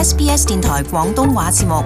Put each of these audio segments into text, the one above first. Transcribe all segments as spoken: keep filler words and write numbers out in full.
S B S 電台廣東話節目。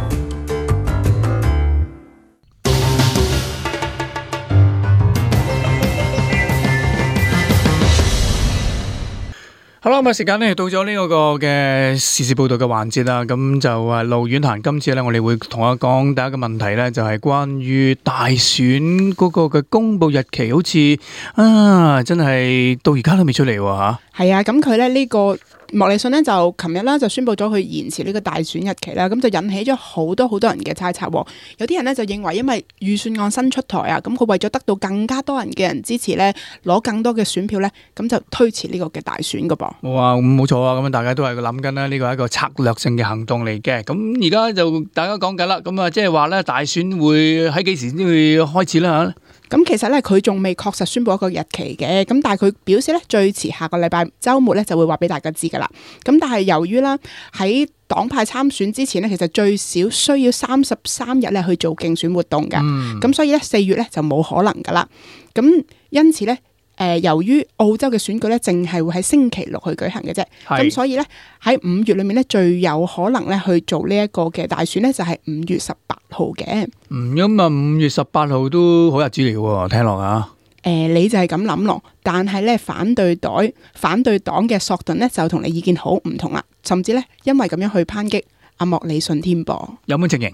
好啦，咁啊時間咧到咗呢個嘅時事報道嘅環節啦，咁就啊盧婉嫻今次咧，我哋會同我講第一個問題咧，就係關於大選嗰個嘅公佈日期，好似啊真係到而家都未出嚟喎嚇。係啊，咁佢咧呢個莫里遜呢，就琴日啦就宣布咗佢延遲呢個大選日期啦，咁就引起咗好多好多人嘅猜測。有啲人呢，就認為因為預算案新出台啊，咁佢為咗得到更加多人嘅人支持呢，攞更多嘅選票呢，咁就推遲呢個嘅大選噶噃。哇，咁冇錯啊，咁大家都係諗緊啦，呢個係一個策略性嘅行動嚟嘅。咁而家就大家講緊啦，咁啊即係話咧大選會喺幾時先會開始啦嚇？咁其實咧，佢仲未確實宣布一個日期嘅，咁但係佢表示咧，最遲下個禮拜週末咧就會話俾大家知噶啦。咁但係由於啦喺黨派參選之前咧，其實最少需要三十三日咧去做競選活動嘅，咁、嗯、所以咧四月咧就冇可能噶啦。咁因此咧。誒、呃，由於澳洲嘅選舉咧，淨係會喺星期六去舉行嘅啫，咁所以咧喺五月裏面咧，最有可能咧去做呢一個嘅大選咧，就係五月十八號嘅。嗯，咁啊，五月十八號都好日子嚟嘅喎，聽落啊。誒、呃，你就係咁諗咯，但係咧反對黨反對黨嘅索頓咧就同你意見好唔同啦，甚至咧因為咁樣去抨擊阿莫里遜添噃。有冇情形？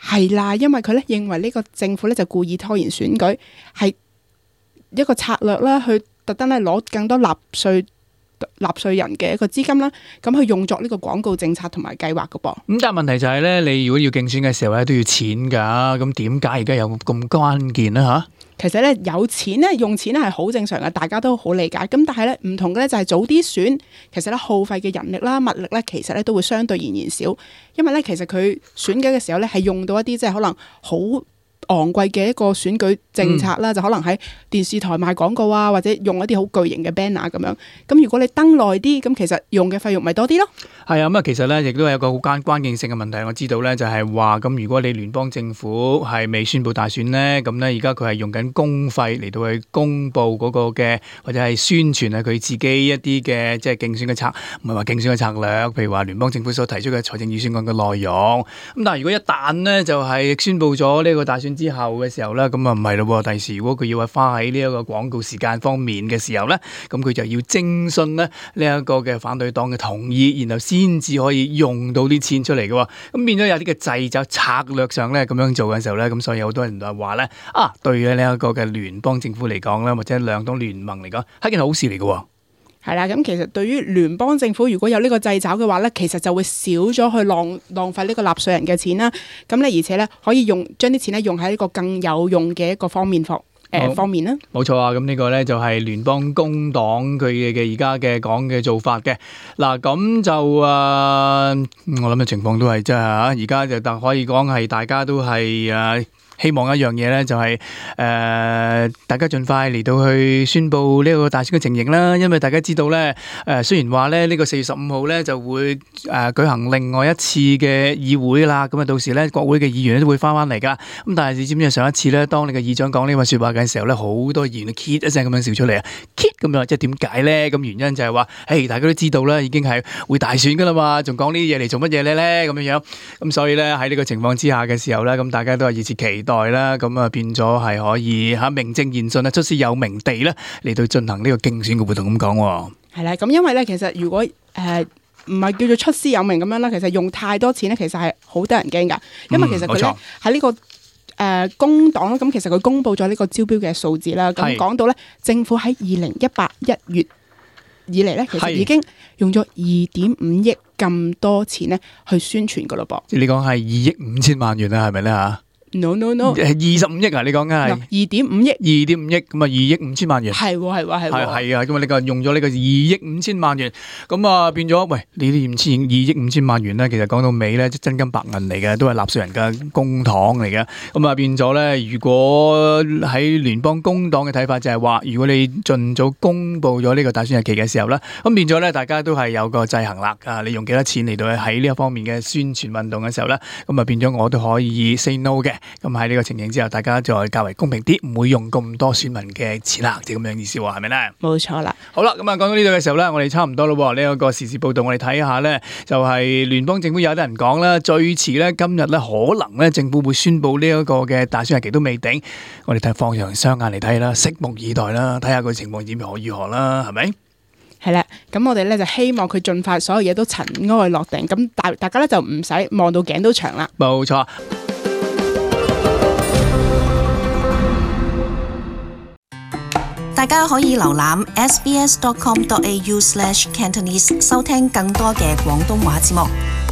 係啦，因為佢咧認為呢個政府咧就故意拖延選舉，係一個策略啦，去特登咧攞更多納稅納稅人嘅一個資金啦，咁去用作呢個廣告政策同埋計劃噶噃。咁但係問題就係咧，你如果要競選嘅時候咧，都要錢噶，咁點解而家有咁關鍵咧吓？其實咧有錢咧用錢咧係好正常嘅，大家都好理解。咁但係咧唔同嘅咧就係早啲選，其實咧耗費嘅人力啦、物力咧，其實咧都會相對而言少，因為咧其實佢選舉嘅時候咧係用到一啲即係可能好昂貴嘅一個選舉政策啦、嗯，就可能喺電視台賣廣告啊，或者用一啲好巨型嘅 banner 咁樣。咁如果你登耐啲，咁其實用嘅費用咪多啲咯。係啊，咁啊，其實咧亦都係有個好關關鍵性嘅問題。我知道咧就係話，咁如果你聯邦政府係未宣布大選咧，咁咧而家佢係用緊公費嚟到去公佈嗰個嘅或者係宣傳啊佢自己一啲嘅即係競選嘅策，唔係話競選嘅策略，譬如話聯邦政府所提出嘅財政預算案嘅內容。咁但係如果一旦咧就係宣布咗呢個大選之後嘅時候咧，咁啊唔係咯，第時如果佢要係花喺呢一個廣告時間方面嘅時候咧，咁佢就要徵詢咧呢一個嘅反對黨嘅同意，然後先至可以用到啲錢出嚟嘅。咁變咗有啲嘅掣肘策略上咧咁樣做嘅時候咧，咁所以好多人就話咧啊，對於呢一個嘅聯邦政府嚟講咧，或者兩黨聯盟嚟講，係件好事嚟嘅。係啦，咁其實對於聯邦政府如果有呢個掣肘嘅話咧，其實就會少咗去浪浪費呢個納稅人嘅錢啦。咁咧而且咧可以用將啲錢咧用喺呢個更有用嘅一個方面方誒、呃、方面啦。冇錯啊，咁呢個咧就係聯邦工黨佢嘅而家嘅講嘅做法嘅。嗱咁就誒、呃，我諗嘅情況都係真係嚇，而家就但可以講係大家都係誒。呃希望一樣嘢咧，就係、是、誒、呃、大家盡快嚟到去宣佈呢個大選嘅情形啦。因為大家知道咧，誒、呃、雖然話咧呢、這個四月十五號咧就會誒、呃、舉行另外一次嘅議會啦。咁啊，到時咧國會嘅議員都會翻翻嚟噶。咁但係你知唔知上一次咧，當你嘅議長講呢個説話嘅時候咧，好多議員都 kit 一聲咁樣笑出嚟啊 kit 咁樣，即係點解咧？咁原因就係話，誒大家都知道啦，已經係會大選噶啦嘛，仲講呢啲嘢嚟做乜嘢咧？咧咁樣樣。咁所以咧喺呢個情況之下嘅時候咧，咁大家都係熱切期待啦，咁啊變咗係可以吓名正言順啊，出師有名地咧嚟到進行呢個競選嘅活動咁講。係啦，咁因為咧其實如果誒唔係叫做出師有名咁樣啦，其實用太多錢咧，其實係好得人驚噶。因為其實佢咧喺呢個誒工黨啦，咁其實佢公布咗呢個招標嘅數字啦，咁講到咧政府喺二零一八一月以嚟咧，其實已經用咗二點五億咁多錢咧去宣傳噶咯噃。你講係二億五千萬元啊，係咪咧吓？no no no， 係二十五億啊！你講緊係二點五億，二點五億咁啊，二億五千萬元係喎係喎係喎係係啊！咁啊，你個用咗呢個二億五千萬元，咁啊變咗喂，你啲五千二億五千萬元咧，其實講到尾咧，即真金白銀嚟嘅，都係納稅人嘅公帑嚟嘅。咁啊變咗咧，如果喺聯邦工黨嘅睇法就係話，如果你盡早公佈咗呢個大選日期嘅時候咧，咁變咗咧，大家都係有個制衡啦。啊，你用幾多錢嚟到喺呢一方面嘅宣傳運動嘅時候咧，咁啊變咗我都可以 say no 嘅。咁喺呢個情形之下，大家再較為公平啲，唔會用咁多選民嘅錢啦，即係咁樣意思喎，係咪咧？冇錯啦。好啦，咁啊講到呢度嘅時候咧，我哋差唔多咯。呢、這、一個時事報道，我哋睇下咧，就係、是、聯邦政府有啲人講啦，最遲咧今日咧可能咧政府會宣布呢一個嘅大選日期都未定。我哋睇放長雙眼嚟睇啦，拭目以待啦，睇下個情況點何如何啦，係咪？係啦，咁我哋咧就希望佢盡快所有嘢都塵埃落定，咁大大家咧就唔使望到頸都長啦。冇錯。大家可以瀏覽 s b s dot com dot a u slash cantonese 收聽更多嘅廣東話節目。